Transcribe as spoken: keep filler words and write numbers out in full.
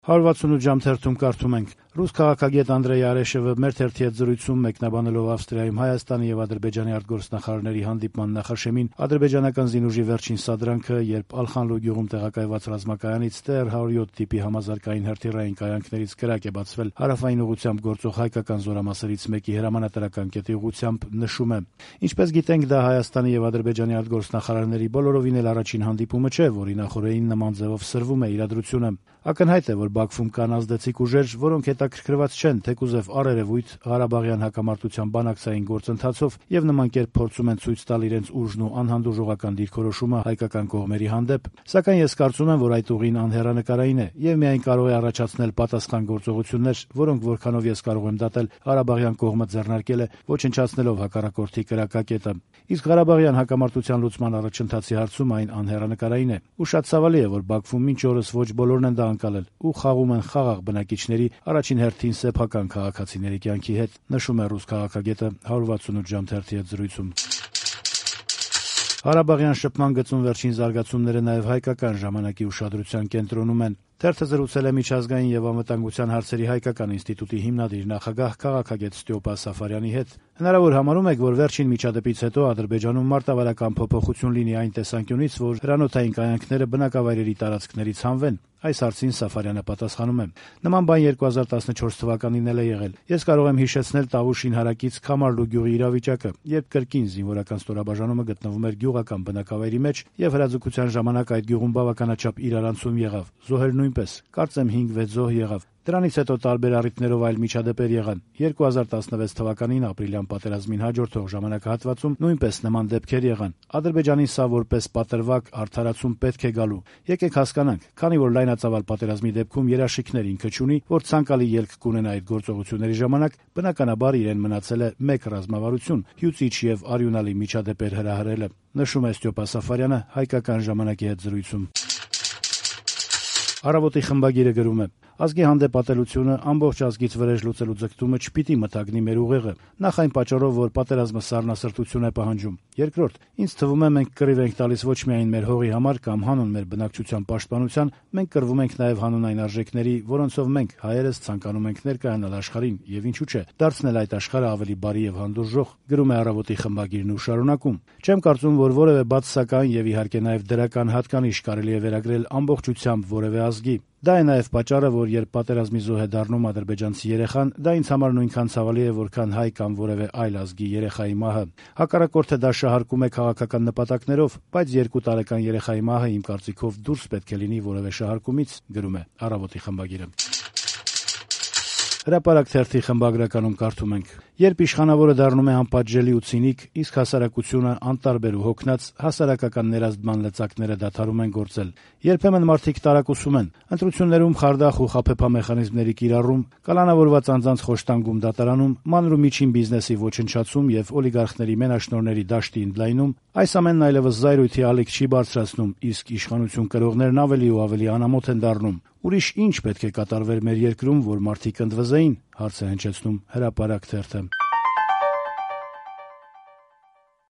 հարյուր վաթսունութ ժամ թերթում կարդում ենք. Ռուս քաղաքագետ Անդրեյ Արեշևը մեր թերթի հետ զրույցում մեկնաբանելով Ավստրիայում Հայաստանի եւ Ադրբեջանի արտգործնախարարների հանդիպման նախաշեմին ադրբեջանական զինուժի վերջին սադրանքը, երբ Ալխանլու գյուղում տեղակայված ռազմակայանից Տ Ր հարյուր յոթ տիպի համազարգային հրթիռային կայանքներից կրակ է բացվել հարավային ուղղությամբ գործող հայկական զորամասերից մեկի հրամանատարական կետի ուղղությամբ, նշում է. Ինչպես գիտենք, դա Հայաստանի եւ Ադրբեջանի արտգործնախարարների բոլորովին էլ առաջին հանդիպումը չէ, որի նախօրեին նման ձևով սրվում է իրադրությունը։ Ակնհայտ է, որ Բաքվում կան ազդեցիկ ուժեր, որոնք հետաքրքրված չեն թեկուզև առերևույթ Ղարաբաղյան հակամարտության բանակցային գործընթացով եւ նման կերպ փորձում են ցույց տալ իրենց ուժն ու անհանդուրժողական դիրքորոշումը հայկական կողմերի հանդեպ։ Սակայն ես կարծում եմ, որ այդ ուղին անհեռանկարային է եւ միայն կարող է առաջացնել պատասխան գործողություններ, որոնք որքանով ես կարող եմ դատել, Ղարաբաղյան կողմը ձեռնարկել է, ոչնչացնելով հակառակորդի կրակակետը։ Իսկ Ղարաբաղյան հակամարտության լուծման առաջընթացի հարցում այն անհեռանկարային է։ Ու շատ ցավալի է, որ Բաքվում մինչ օրս ոչ բոլորն են դա անցալել ու խաղում են խաղաղ բնակիչների, առաջին հերթին սեփական քաղաքացիների կյանքի հետ, նշում է ռուս քաղաքագետը հարյուր վաթսունութ ժամ թերթի հետ զրույցում։ Ղարաբաղյան շփման գծում վերջին զարգացումները նաև հայկական ժամանակի ուշադրության կենտրոնում են։ Թերթը զրուցել է միջազգային եւ անվտանգության հարցերի հայկական ինստիտուտի հիմնադիր նախագահ քաղաքագետ Ստյոպա Սաֆարյանի հետ։ Հնարավոր համարում եք, որ վերջին միջադեպից հետո Ադրբեջանում մարտավարական փոփոխություն լինի այն տեսանկյունից, որ հրանոթային կայանքները բնակավայրերի տարածքներից հանվեն։ Այս հարցին Սաֆարյանը պատասխանում է. Նման բան երկու հազար տասնչորս թվականին էլ է եղել։ Ես կարող եմ հիշեցնել Տավուշին հարակից Քամարլու գյուղի իրավիճակը, երբ կրկին զինվորական ստորաբաժանումը գտնվում էր գյուղական բնակավայրի մեջ եւ հրաձգության ժամանակ այդ գյուղում բավականաչափ իրարանցում եղավ։ Զոհեր նույնպես, կարծեմ հինգ-վեց զոհ եղավ։ Դրանից հետո տարբեր առիթներով այլ միջադեպեր եղան։ երկու հազար տասնվեց թվականին ապրիլյան պատերազմին հաջորդող ժամանակահատվածում նույնպես նման դեպքեր եղան։ Ադրբեջանին սա որպես պատրվակ արդարացում պետք է գալու։ Եկեք հասկանանք, քանի որ լայնածավալ պատերազմի դեպքում երաշխիքներ ինքը չունի, որ ցանկալի ելք կունենա այդ գործողությունների ժամանակ, բնականաբար իրեն մնացել է մեկ ռազմավարություն՝ հյուծիչ եւ արյունալի միջադեպեր հրահրելը, նշում է Ստյոպա Սաֆարյանը հայկական ժամանակի հետ զրույցում։ Առավոտի խմբագիրը գրում է. Ազգի հանդեպ ատելությունը, ամբողջ ազգից վրեժ լուծելու ձգտումը չպիտի մթագնի մեր ուղեղը, նախ այն պատճառով, որ պատերազմը սառնասրտություն է պահանջում։ Երկրորդ, ինձ թվում է մենք կռիվ ենք տալիս ոչ միայն մեր հողի համար կամ հանուն մեր բնակչության պաշտպանության, մենք կռվում ենք նաև հանուն այն արժեքների, որոնցով մենք հայերս ցանկանում ենք ներկայանալ աշխարհին եւ ինչու՞ չէ, դարձնել այդ աշխարհը ավելի բարի եւ հանդուրժող, գրում է Առավոտի խմբագիրն ու շարունակում. Չեմ կարծում, որ որևէ բացասական եւ իհարկե նաև դրական հատկանիշ կարելի է վերագրել ամբողջությամբ որևէ ազգի։ Դա է նաև պատճառը, որ երբ պատերազմի զոհ է դառնում ադրբեջանցի երեխան, դա ինձ համար նույնքան ցավալի է, որքան հայ կամ որևէ այլ ազգի երեխայի մահը։ Հակառակորդը դա շահարկում է քաղաքական նպատակներով, բայց երկու տարեկան երեխայի մահը իմ կարծիքով դուրս պետք է լինի որևէ շահարկումից, գրում է Առավոտի խմբագիրը։ Հրապարակ թերթի խմբագրականում կարդում ենք. Երբ իշխանավորը դառնում է անպատժելի ու ցինիկ, իսկ հասարակությունը անտարբեր ու հոգնած, հասարակական ներազդման լծակները դադարում են գործել։ Երբեմն մարդիկ տարակուսում են, ընտրություններում խարդախ ու խաբեբա մեխանիզմների կիրառում, կալանավորված անձանց խոշտանգում դատարանում, մանր ու միջին բիզնեսի ոչնչացում եւ օլիգարխների մենաշնորհների դաշտի ընդլայնում, այս ամենն այլևս զայրույթի ալիք չի բարձրացնում, իսկ իշխանություն կրողներն ավելի ու ավելի անամոթ են դառնում։ Ուրիշ ինչ պետք է կատարվեր մեր երկրում, որ մարդիկ ընդվզեին, հարց է հնչեցնում Հրապարակ թերթը։